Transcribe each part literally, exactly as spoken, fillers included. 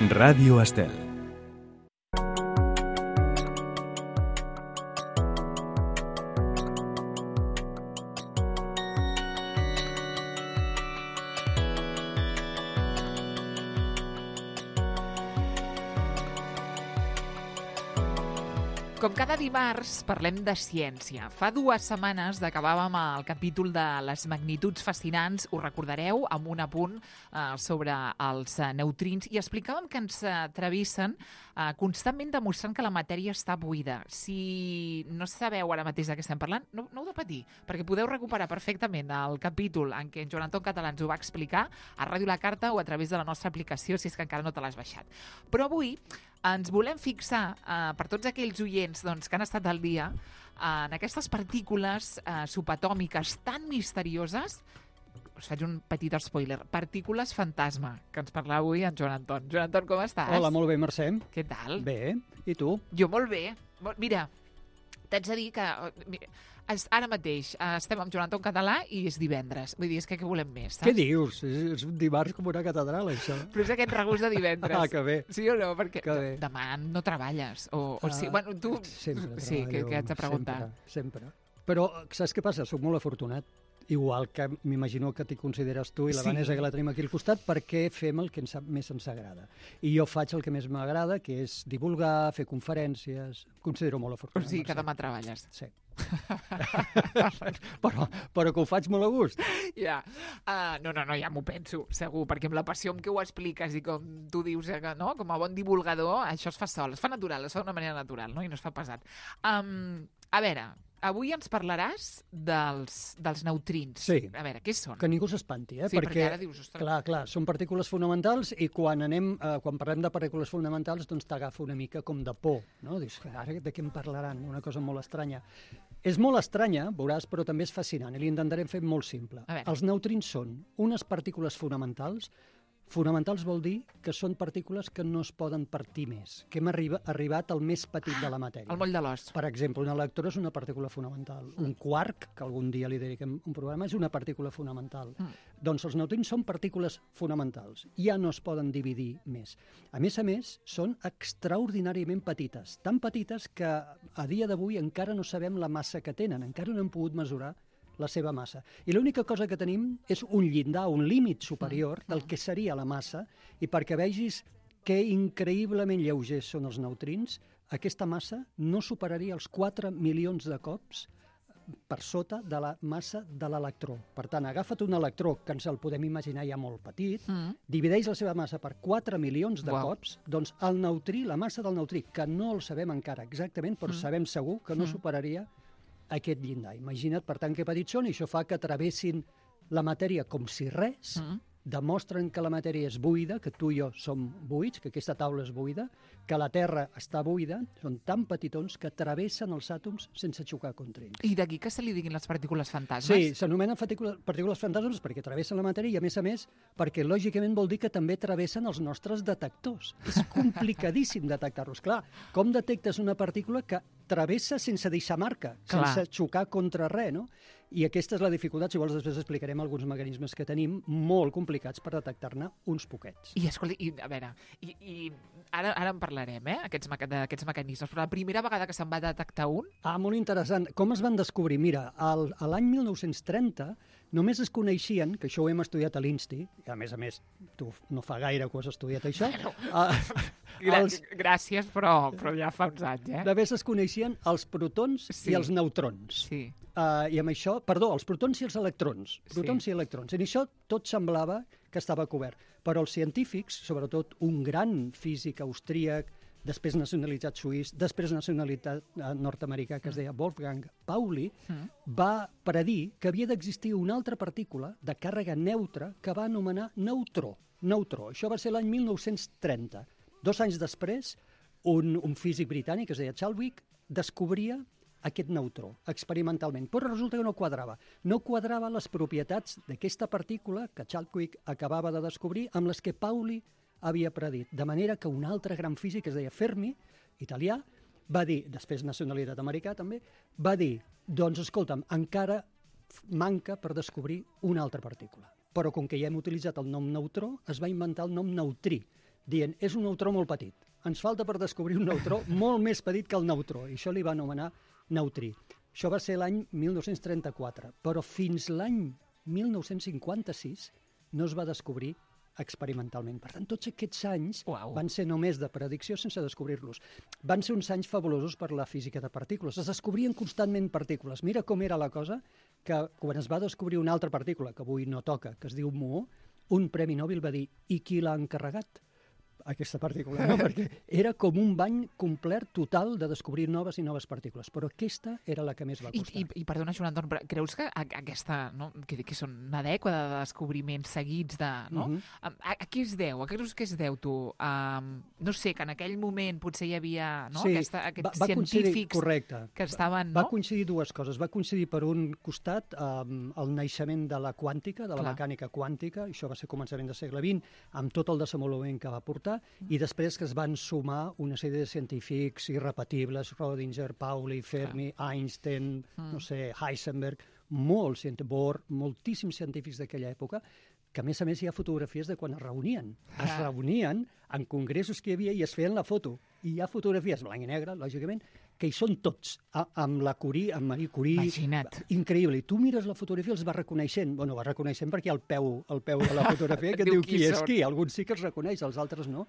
Ràdio Estel. Com cada dimarts, parlem de ciència. Fa dues setmanes acabàvem el capítol de les magnituds fascinants, ho recordareu, amb un apunt eh, sobre els eh, neutrins, i explicàvem que ens travessen eh, constantment demostrant que la matèria està buida. Si no sabeu ara mateix de què estem parlant, no, no heu de patir, perquè podeu recuperar perfectament el capítol en què en Joan Anton Català ens ho va explicar a Ràdio La Carta o a través de la nostra aplicació, si és que encara no te l'has baixat. Però avui ens volem fixar, eh, per tots aquells oients doncs, que han estat al dia, eh, en aquestes partícules eh, subatòmiques tan misterioses. Us faig un petit spoiler. Partícules fantasma, que ens parla avui en Joan Anton. Joan Anton, com estàs? Hola, molt bé, Mercè. Què tal? Bé, i tu? Jo molt bé. Mira, t'haig de dir que mira, ara mateix estem amb Joan Anton Català i és divendres. Vull dir, és que què volem més, saps? Què dius? És, és un dimarts com una catedral, això. Però és aquest regust de divendres. Ah, que bé. Sí o no? Perquè que bé. Demà no treballes. O, o sí, uh, bueno, tu... Sempre sí, que, que haig de preguntar. Sempre, sempre. Però saps què passa? Soc molt afortunat. Igual que m'imagino que t'hi consideres tu i la sí. Vanessa, que la tenim aquí al costat, perquè fem el que ens, més ens agrada. I jo faig el que més m'agrada, que és divulgar, fer conferències. Em considero molt afortunat. O sigui, que demà treballes. Sí. però, però que ho faig molt a gust. Ja. Uh, no, no, no, ja m'ho penso, segur, perquè amb la passió amb què ho expliques i com tu dius, eh, no? Com a bon divulgador, això es fa sol, es fa natural, es fa d'una manera natural, no? I no es fa pesat. Um, a veure, avui ens parlaràs dels, dels neutrins. Sí. A veure, què són? Que ningú s'espanti, eh? Sí, perquè, perquè ara dius... Ostres... Clar, clar, són partícules fonamentals i quan anem, eh, quan parlem de partícules fonamentals, doncs t'agafa una mica com de por, no? Dius, ara de què em parlaran? Una cosa molt estranya. És molt estranya, veuràs, però també és fascinant i l'intentarem fer molt simple. Els neutrins són unes partícules fonamentals. Fonamentals vol dir que són partícules que no es poden partir més, que hem arriba, arribat al més petit de la matèria. El moll de l'os. Per exemple, un electró és una partícula fonamental. Mm. Un quark, que algun dia li dediquem un programa, és una partícula fonamental. Mm. Doncs els neutrins són partícules fonamentals. Ja no es poden dividir més. A més a més, són extraordinàriament petites. Tan petites que a dia d'avui encara no sabem la massa que tenen, encara no hem pogut mesurar la seva massa. I l'única cosa que tenim és un llindar, un límit superior del que seria la massa, i perquè vegis que increïblement lleugers són els neutrins, aquesta massa no superaria els quatre milions de cops per sota de la massa de l'electró. Per tant, agafa't un electró, que ens el podem imaginar ja molt petit, mm. divideix la seva massa per quatre milions de wow. cops, doncs el neutrí, la massa del neutrí, que no el sabem encara exactament, però mm. sabem segur que no mm. superaria aquest llindar. Imagina't, per tant, que petits són, i això fa que travessin la matèria com si res, mm. demostren que la matèria és buida, que tu i jo som buits, que aquesta taula és buida, que la Terra està buida, són tan petitons que travessen els àtoms sense xocar contra ells. I d'aquí que se li diguin les partícules fantasmes? Sí, s'anomenen partícules fantasmes perquè travessen la matèria i, a més a més, perquè lògicament vol dir que també travessen els nostres detectors. És complicadíssim detectar-los. Clar, com detectes una partícula que travessa sense deixar marca, Clar. sense xocar contra res, no? I aquesta és la dificultat, si vols després explicarem alguns mecanismes que tenim molt complicats per detectar-ne uns poquets. I escolta, i, a veure, i, i ara, ara en parlarem, eh, aquests, d'aquests mecanismes, però la primera vegada que se'n va detectar un... Ah, molt interessant. Com es van descobrir? Mira, al, a l'any mil nou-cents trenta només es coneixien, que això ho hem estudiat a l'I N S T I, i a més a més, tu no fa gaire que ho has estudiat això... Bueno, uh, els, gràcies, però, però ja fa uns anys, eh? Només es coneixien els protons sí. i els neutrons. Sí. Uh, I amb això, perdó, els protons i els electrons. Protons sí. i electrons. I això tot semblava que estava cobert. Però els científics, sobretot un gran físic austríac, després nacionalitzat suís, després nacionalitat nord-americà, que es deia Wolfgang Pauli, mm. va predir que havia d'existir una altra partícula de càrrega neutra que va anomenar neutró. Neutró. Això va ser l'any mil nou-cents trenta. Dos anys després, un, un físic britànic, que es deia Chadwick, descobria aquest neutró, experimentalment. Però resulta que no quadrava. No quadrava les propietats d'aquesta partícula que Chadwick acabava de descobrir amb les que Pauli havia predit. De manera que un altre gran físic, que es deia Fermi, italià, va dir, després nacionalitat americà també, va dir, doncs escolta'm, encara manca per descobrir una altra partícula. Però com que ja hem utilitzat el nom neutró, es va inventar el nom neutrí. dient és un neutró molt petit. Ens falta per descobrir un neutró molt més petit que el neutró, i això li va anomenar neutrí. Això va ser l'any mil nou-cents trenta-quatre, però fins l'any mil nou-cents cinquanta-sis no es va descobrir experimentalment. Per tant, tots aquests anys Uau. van ser només de predicció sense descobrir-los. Van ser uns anys fabulosos per la física de partícules. Es descobrien constantment partícules. Mira com era la cosa que quan es va descobrir una altra partícula, que avui no toca, que es diu muó, un premi Nobel va dir i qui l'ha encarregat? Aquesta partícula, no? Perquè era com un bany complet total de descobrir noves i noves partícules, però aquesta era la que més va I, costar. i, i perdona, Joan Anton, però creus que a, aquesta, no, que, que són una dècada de descobriments seguits de... No? Mhm. a, a, a què es deu? A què creus que es deu, tu? Um, no sé, que en aquell moment potser hi havia no? Sí, Aquesta, aquests va, va coincidir, científics correcte. que estaven... Va No? coincidir dues coses. Va coincidir per un costat um, el naixement de la quàntica, de la Clar. mecànica quàntica, i això va ser començament del segle vint, amb tot el desenvolupament que va portar, i després que es van sumar una sèrie de científics irrepetibles, Rödinger, Pauli, Fermi, Clar. Einstein, mm. no sé, Heisenberg, molts, Bohr, moltíssims científics d'aquella època, que a més a més hi ha fotografies de quan es reunien. Es Ah. reunien en congressos que hi havia i es feien la foto. I hi ha fotografies, blanc i negre, lògicament, que hi són tots, a, amb la Curie, amb Marie Curie. Imagina't. Increïble. I tu mires la fotografia i els vas reconeixent. Bueno, vas reconeixent perquè hi ha el peu, el peu de la fotografia que et Diu diu qui qui és són. qui. Alguns sí que els reconeix, els altres no.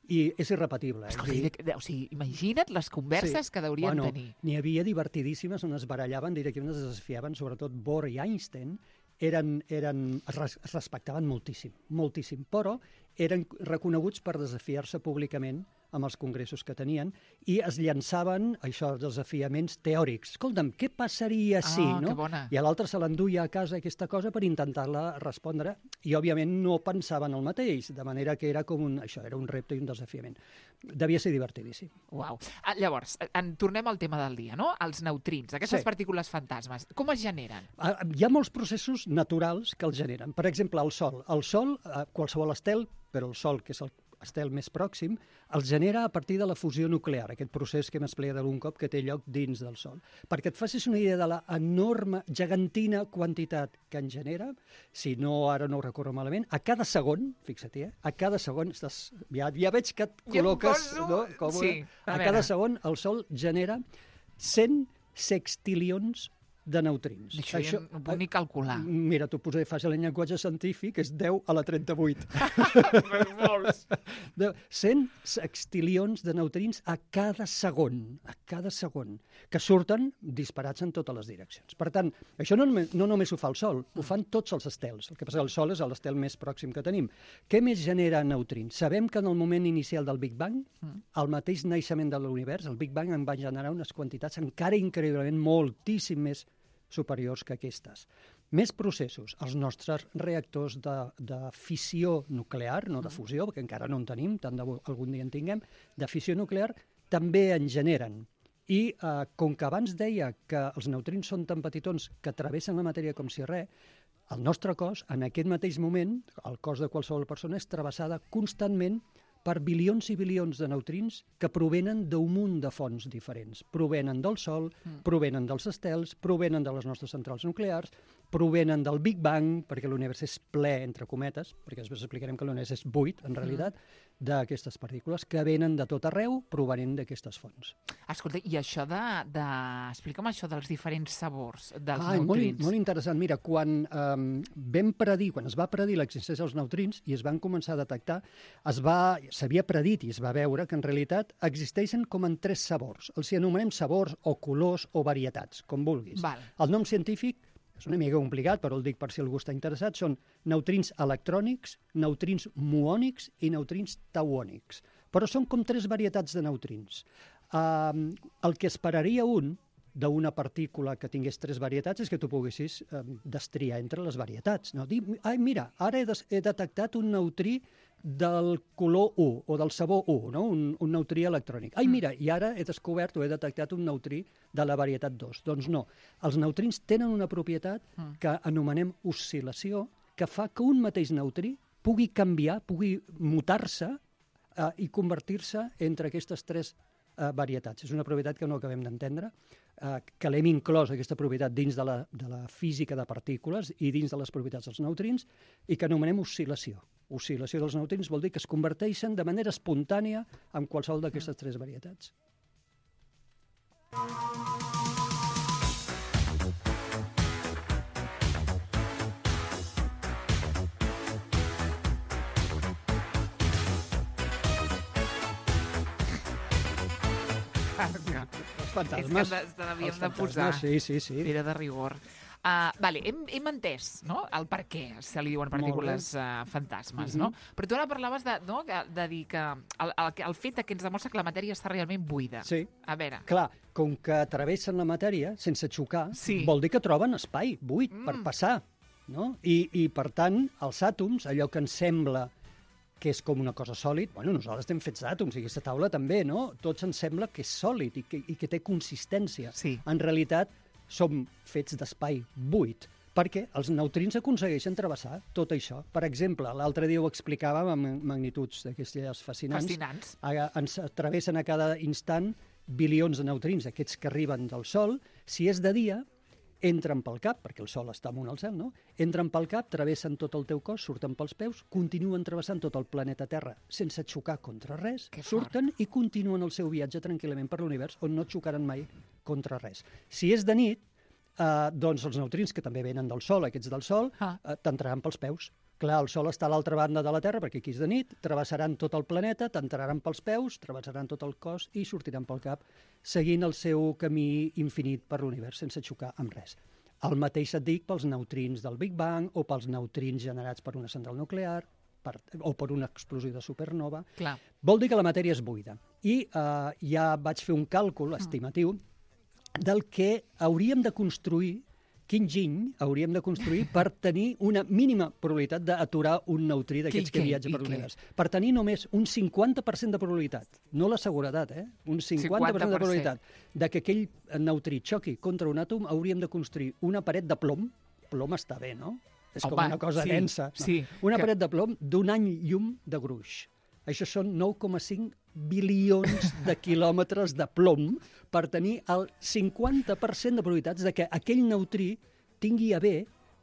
I és irrepetible. Escolta, És a dir, i de- o sigui, imagina't les converses sí. que deurien bueno, tenir. N'hi havia divertidíssimes on es barallaven, directament es desafiaven, sobretot Bohr i Einstein, eren, eren, es, res, es respectaven moltíssim, moltíssim, però eren reconeguts per desafiar-se públicament amb els congressos que tenien i es llançaven, això, els desafiaments teòrics. Escolta'm, què passaria si, Ah, no? que bona. I a l'altre se l'enduia a casa aquesta cosa per intentar-la respondre i, òbviament, no pensaven el mateix, de manera que era com un, això, era un repte i un desafiament. Devia ser divertidíssim. Uau. Ah, llavors, en tornem al tema del dia, no? Els neutrins, aquestes Sí. partícules fantasmes. Com es generen? Ah, Hi ha molts processos naturals que els generen. Per exemple, el Sol. El Sol, eh, qualsevol estel, però el Sol, que és el estel més pròxim, els genera a partir de la fusió nuclear, aquest procés que hem explicat algun cop que té lloc dins del Sol. Perquè et facis una idea de la enorme, gegantina quantitat que en genera, si no, ara no ho recordo malament, a cada segon, fixa't, eh, a cada segon, estàs, ja, ja veig que et Ja em col·loques... poso- No, com sí, a a veure. cada segon el Sol genera cent sextilions de neutrins. Això, això ja no puc ni calcular. Mira, t'ho posaré fàcil en llenguatge científic, és deu a la trenta-vuit. Molts. De cent sextilions de neutrins a cada segon, a cada segon, que surten disparats en totes les direccions. Per tant, això no, només- no només ho fa el Sol, ho fan tots els estels. El que passa que el Sol és l'estel més pròxim que tenim. Què més genera neutrins? Sabem que en el moment inicial del Big Bang, al mateix naixement de l'univers, el Big Bang en va generar unes quantitats encara increïblement moltíssim més superiors que aquestes. Més processos. Els nostres reactors de, de fissió nuclear, no de fusió, perquè encara no en tenim, tant de bo algun dia en tinguem, de fissió nuclear, també en generen. I eh, com que abans deia que els neutrins són tan petitons que travessen la matèria com si res, el nostre cos, en aquest mateix moment, el cos de qualsevol persona és travessada constantment per bilions i bilions de neutrins que provenen d'un munt de fonts diferents. Provenen del Sol, mm. provenen dels estels, provenen de les nostres centrals nuclears, provenen del Big Bang, perquè l'univers és ple, entre cometes, perquè després explicarem que l'univers és buit, en realitat, mm. d'aquestes partícules que venen de tot arreu provenent d'aquestes fonts. Escolta, i això de... de... Explica'm això dels diferents sabors dels Ah, molt, neutrins. molt interessant. Mira, quan um, vam predir, quan es va predir l'existència dels neutrins i es van començar a detectar, es va, s'havia predit i es va veure que en realitat existeixen com en tres sabors. Els hi anomenem sabors o colors o varietats, com vulguis. Val. El nom científic és una mica complicat, però el dic per si algú està interessat, són neutrins electrònics, neutrins muònics i neutrins tauònics. Però són com tres varietats de neutrins. Um, el que esperaria un d'una partícula que tingués tres varietats és que tu poguessis eh, destriar entre les varietats. No? Dir, ai, mira, ara he, des he detectat un neutrí del color u o del sabor u, no? un, un neutrí electrònic. Ai, mira, i ara he descobert o he detectat un neutrí de la varietat dos. Doncs no, els neutrins tenen una propietat que anomenem oscil·lació, que fa que un mateix neutrí pugui canviar, pugui mutar-se eh, i convertir-se entre aquestes tres eh, varietats. És una propietat que no acabem d'entendre, eh, que l'hem inclòs, aquesta propietat, dins de la, de la física de partícules i dins de les propietats dels neutrins, i que anomenem oscil·lació. oscil·lació dels neutrins vol dir que es converteixen de manera espontània en qualsevol d'aquestes tres varietats. Els fantasmes. És que t'havíem de posar. Sí, sí, sí. Era de rigor. Uh, vale, hem, hem entès, no?, el per què se li diuen partícules uh, fantasmes, no? Mm-hmm. Però tu ara parlaves de, no?, de dir que el, el, el fet que ens demostra que la matèria està realment buida. Sí. A veure. Clar, com que travessen la matèria sense xocar, sí. vol dir que troben espai buit mm. per passar, no? I, I, per tant, els àtoms, allò que ens sembla que és com una cosa sòlid, bueno, nosaltres estem fets d'àtoms, i aquesta taula també, no? Tots ens sembla que és sòlid i que, i que té consistència. Sí. En realitat, som fets d'espai buit, perquè els neutrins aconsegueixen travessar tot això. Per exemple, l'altre dia ho explicàvem amb magnituds d'aquestes fascinants. Fascinants. Ens travessen a cada instant bilions de neutrins, aquests que arriben del Sol. Si és de dia, entren pel cap, perquè el Sol està amunt al cel, no? Entren pel cap, travessen tot el teu cos, surten pels peus, continuen travessant tot el planeta Terra sense xocar contra res, surten i continuen el seu viatge tranquil·lament per l'univers, on no xocaran mai contra res. Si és de nit, eh, doncs els neutrins, que també venen del Sol, aquests del Sol, ah. eh, t'entraran pels peus. Clar, el Sol està a l'altra banda de la Terra, perquè aquí és de nit, travessaran tot el planeta, t'entraran pels peus, travessaran tot el cos i sortiran pel cap, seguint el seu camí infinit per l'univers, sense xocar amb res. El mateix et dic pels neutrins del Big Bang o pels neutrins generats per una central nuclear per, o per una explosió de supernova. Clar. Vol dir que la matèria és buida. I eh, ja vaig fer un càlcul estimatiu del que hauríem de construir, quin giny hauríem de construir per tenir una mínima probabilitat d'aturar un neutrí d'aquests que viatja per l'univers. Per tenir només un cinquanta per cent de probabilitat, no la seguretat, eh? Un cinquanta per cent de probabilitat de que aquell neutrí xoqui contra un àtom, hauríem de construir una paret de plom. Plom està bé, no? És Home, com una cosa sí, densa. No? Sí, una que... paret de plom d'un any llum de gruix. Això són nou coma cinc bilions de quilòmetres de plom per tenir el cinquanta per cent de probabilitats de que aquell neutrí tingui a bé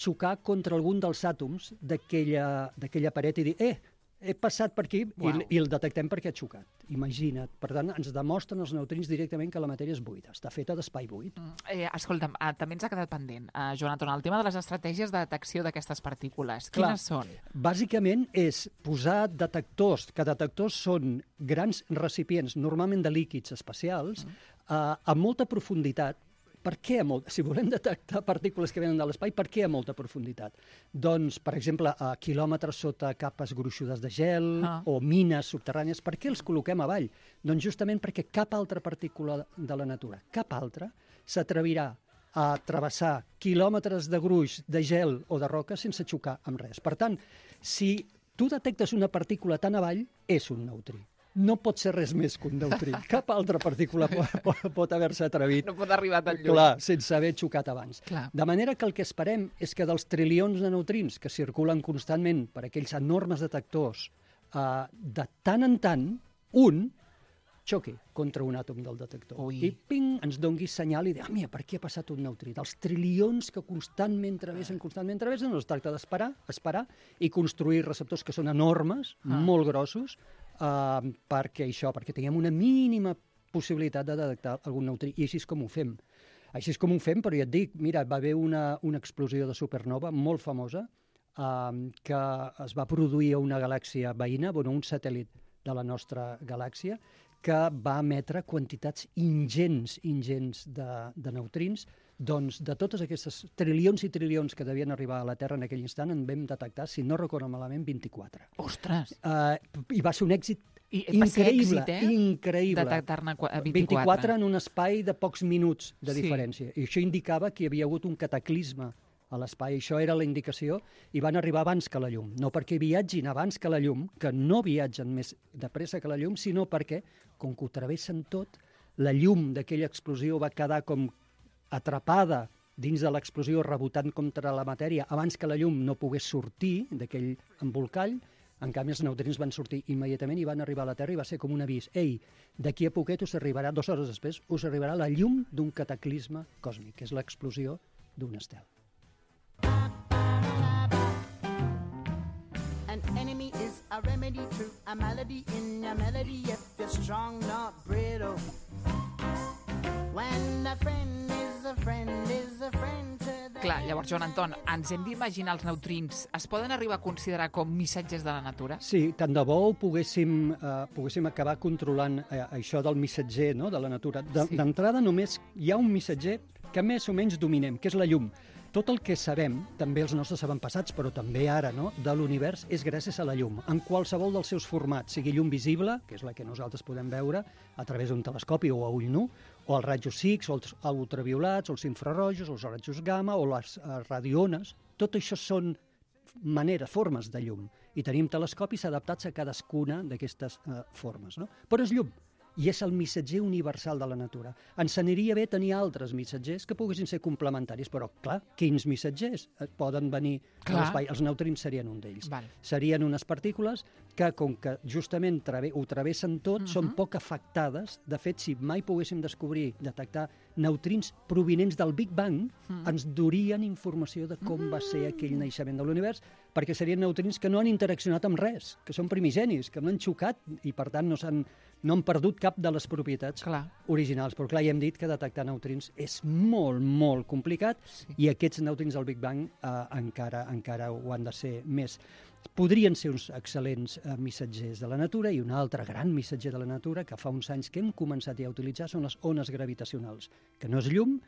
xocar contra algun dels àtoms d'aquella paret i dir, eh, he passat per aquí wow. i, i el detectem perquè ha xocat. Imagina't. Per tant, ens demostren els neutrins directament que la matèria és buida, està feta d'espai buit. Mm, eh, escolta'm, eh, també ens ha quedat pendent, eh, Joan Anton, el tema de les estratègies de detecció d'aquestes partícules. Clar, quines són? Bàsicament és posar detectors, que detectors són grans recipients, normalment de líquids espacials, mm. eh, a molta profunditat. Per què a molt... Si volem detectar partícules que venen de l'espai, per què a molta profunditat? Doncs, per exemple, a quilòmetres sota capes gruixudes de gel ah. o mines subterrànies, per què els col·loquem avall? Doncs justament perquè cap altra partícula de la natura, cap altra, s'atrevirà a travessar quilòmetres de gruix de gel o de roca sense xocar amb res. Per tant, si tu detectes una partícula tan avall, és un neutrí. No pot ser res més que un neutrí. Cap altra partícula pot, pot, pot haver-se atrevit. No pot arribar tan lluny. Clar, sense haver xocat abans. Clar. De manera que el que esperem és que dels trilions de neutrins que circulen constantment per aquells enormes detectors, eh, de tant en tant, un xoqui contra un àtom del detector. Ui. I ping, ens dongui senyal i dir, ah, mira, per aquí ha passat un neutrí. Dels trilions que constantment travessen, constantment travessen, no es tracta d'esperar, esperar i construir receptors que són enormes, ah. molt grossos, Uh, perquè això, perquè tinguem una mínima possibilitat de detectar algun neutrí, i així és com ho fem. Així és com ho fem, però ja et dic, mira, va haver una, una explosió de supernova molt famosa uh, que es va produir a una galàxia veïna, bueno, un satèl·lit de la nostra galàxia, que va emetre quantitats ingents, ingents de, de neutrins. Doncs de totes aquestes trilions i trilions que devien arribar a la Terra en aquell instant, en vam detectar, si no recordo malament, vint-i-quatre. Ostres! Uh, I va ser un èxit I, increïble, èxit, eh? increïble. Detectar-ne vint-i-quatre. vint-i-quatre en un espai de pocs minuts de sí. diferència. I això indicava que hi havia hagut un cataclisme a l'espai. Això era la indicació, i van arribar abans que la llum. No perquè viatgin abans que la llum, que no viatgen més de pressa que la llum, sinó perquè, com que ho travessen tot, la llum d'aquella explosió va quedar com atrapada dins de l'explosió, rebotant contra la matèria, abans que la llum no pogués sortir d'aquell embolcall. En canvi, els neutrins van sortir immediatament i van arribar a la Terra, i va ser com un avís. Ei, d'aquí a poquet us arribarà, dues hores després, us arribarà la llum d'un cataclisme còsmic, que és l'explosió d'un estel. An enemy a remedy to a malady in your melody if you're strong, not brittle. When a friend is a friend is a friend to the... Clar, llavors, Joan Anton, ens hem d'imaginar els neutrins. Es poden arribar a considerar com missatges de la natura? Sí, tant de bo ho poguéssim, eh, poguéssim acabar controlant eh, això del missatger, no?, de la natura. D'entrada, sí. Només hi ha un missatger que més o menys dominem, que és la llum. Tot el que sabem, també els nostres avantpassats, però també ara, no?, de l'univers, és gràcies a la llum. En qualsevol dels seus formats, sigui llum visible, que és la que nosaltres podem veure a través d'un telescopi o a ull nu, o els rajos X, o els ultraviolats, o els infrarrojos, o els rajos gamma, o les uh, radiones, tot això són maneres, formes de llum. I tenim telescopis adaptats a cadascuna d'aquestes uh, formes, no? Però és llum. I és el missatger universal de la natura. Ens aniria bé tenir altres missatgers que poguessin ser complementaris, però, clar, quins missatgers poden venir a l'espai? Els neutrins serien un d'ells. Serien unes partícules que, com que justament trave, ho travessen tot, uh -huh. són poc afectades. De fet, si mai poguéssim descobrir, detectar neutrins provinents del Big Bang, uh -huh. ens durien informació de com uh -huh. va ser aquell naixement de l'univers, perquè serien neutrins que no han interaccionat amb res, que són primigenis, que no han xocat i, per tant, no s'han no han perdut cap de les propietats clar. originals. Però, clar, ja hem dit que detectar neutrins és molt, molt complicat sí. i aquests neutrins del Big Bang eh, encara, encara ho han de ser més. Podrien ser uns excel·lents eh, missatgers de la natura, i un altre gran missatger de la natura que fa uns anys que hem començat ja a utilitzar són les ones gravitacionals, que no és llum,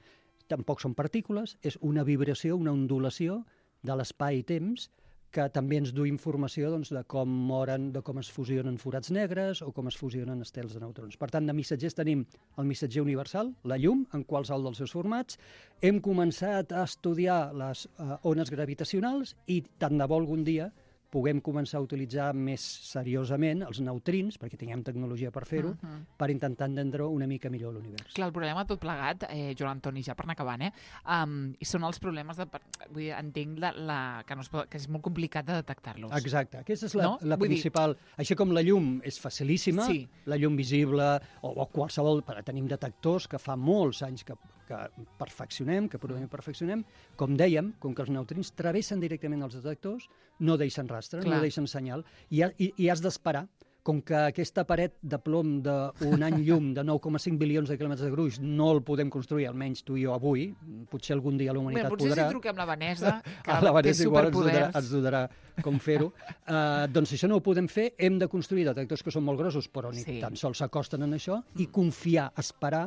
tampoc són partícules, és una vibració, una ondulació de l'espai i temps, que també ens du informació doncs, de com moren, de com es fusionen forats negres o com es fusionen estels de neutrons. Per tant, de missatgers tenim el missatger universal, la llum, en qualsevol dels seus formats. Hem començat a estudiar les uh, ones gravitacionals i tant de bo algun dia puguem començar a utilitzar més seriosament els neutrins, perquè tinguem tecnologia per fer-ho, uh -huh. per intentar entendre una mica millor l'univers. Clar, el problema tot plegat, eh, Joan Antoni, ja per anar acabant, eh, um, i són els problemes de... Vull dir, entenc la, la, que, no es pot, que és molt complicat de detectar-los. Exacte, aquesta és la, no? la principal... Dir... Així com la llum és facilíssima, sí. la llum visible, o, o qualsevol... Tenim detectors que fa molts anys que, que perfeccionem, que probablement perfeccionem. Com dèiem, com que els neutrins travessen directament els detectors, no deixen rastre, Clar. no deixen senyal, i, i, i has d'esperar. Com que aquesta paret de plom d'un any llum de nou coma cinc bilions de quilòmetres de gruix no el podem construir, almenys tu i jo avui, potser algun dia la humanitat Bé, potser podrà... Potser si truquem la Vanessa, que la Vanessa té superpoders. Ens donarà com fer-ho. Uh, doncs si això no ho podem fer, hem de construir detectors que són molt grossos, però ni sí. tan sols s'acosten en això, mm. i confiar, esperar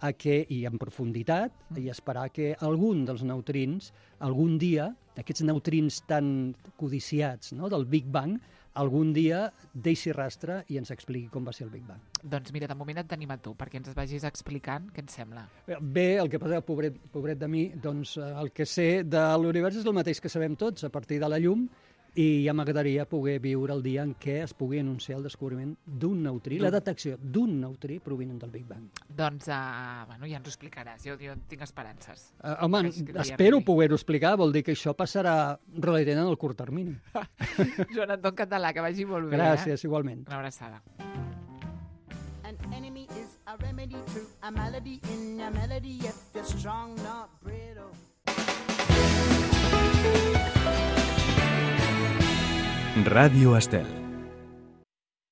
a que, i en profunditat, mm. i esperar que algun dels neutrins, algun dia, aquests neutrins tan codiciats, no?, del Big Bang, algun dia deixi rastre i ens expliqui com va ser el Big Bang. Doncs mira, de moment et tenim a tu, perquè ens vagis explicant què ens sembla. Bé, el que passa, pobret, pobret de mi, doncs el que sé de l'univers és el mateix que sabem tots, a partir de la llum, i ja m'agradaria poder viure el dia en què es pugui anunciar el descobriment d'un neutrí, la detecció d'un neutrí provinent del Big Bang. Doncs, uh, bueno, ja ens ho explicaràs, jo, jo tinc esperances. Uh, home, espero poder-ho explicar, vol dir que això passarà relativament en el curt termini. Joan Anton Català, que vagi molt bé. Gràcies, eh? igualment. Una abraçada. An enemy is a remedy to a malady in a melody if you're strong, not brittle. Ràdio Estel.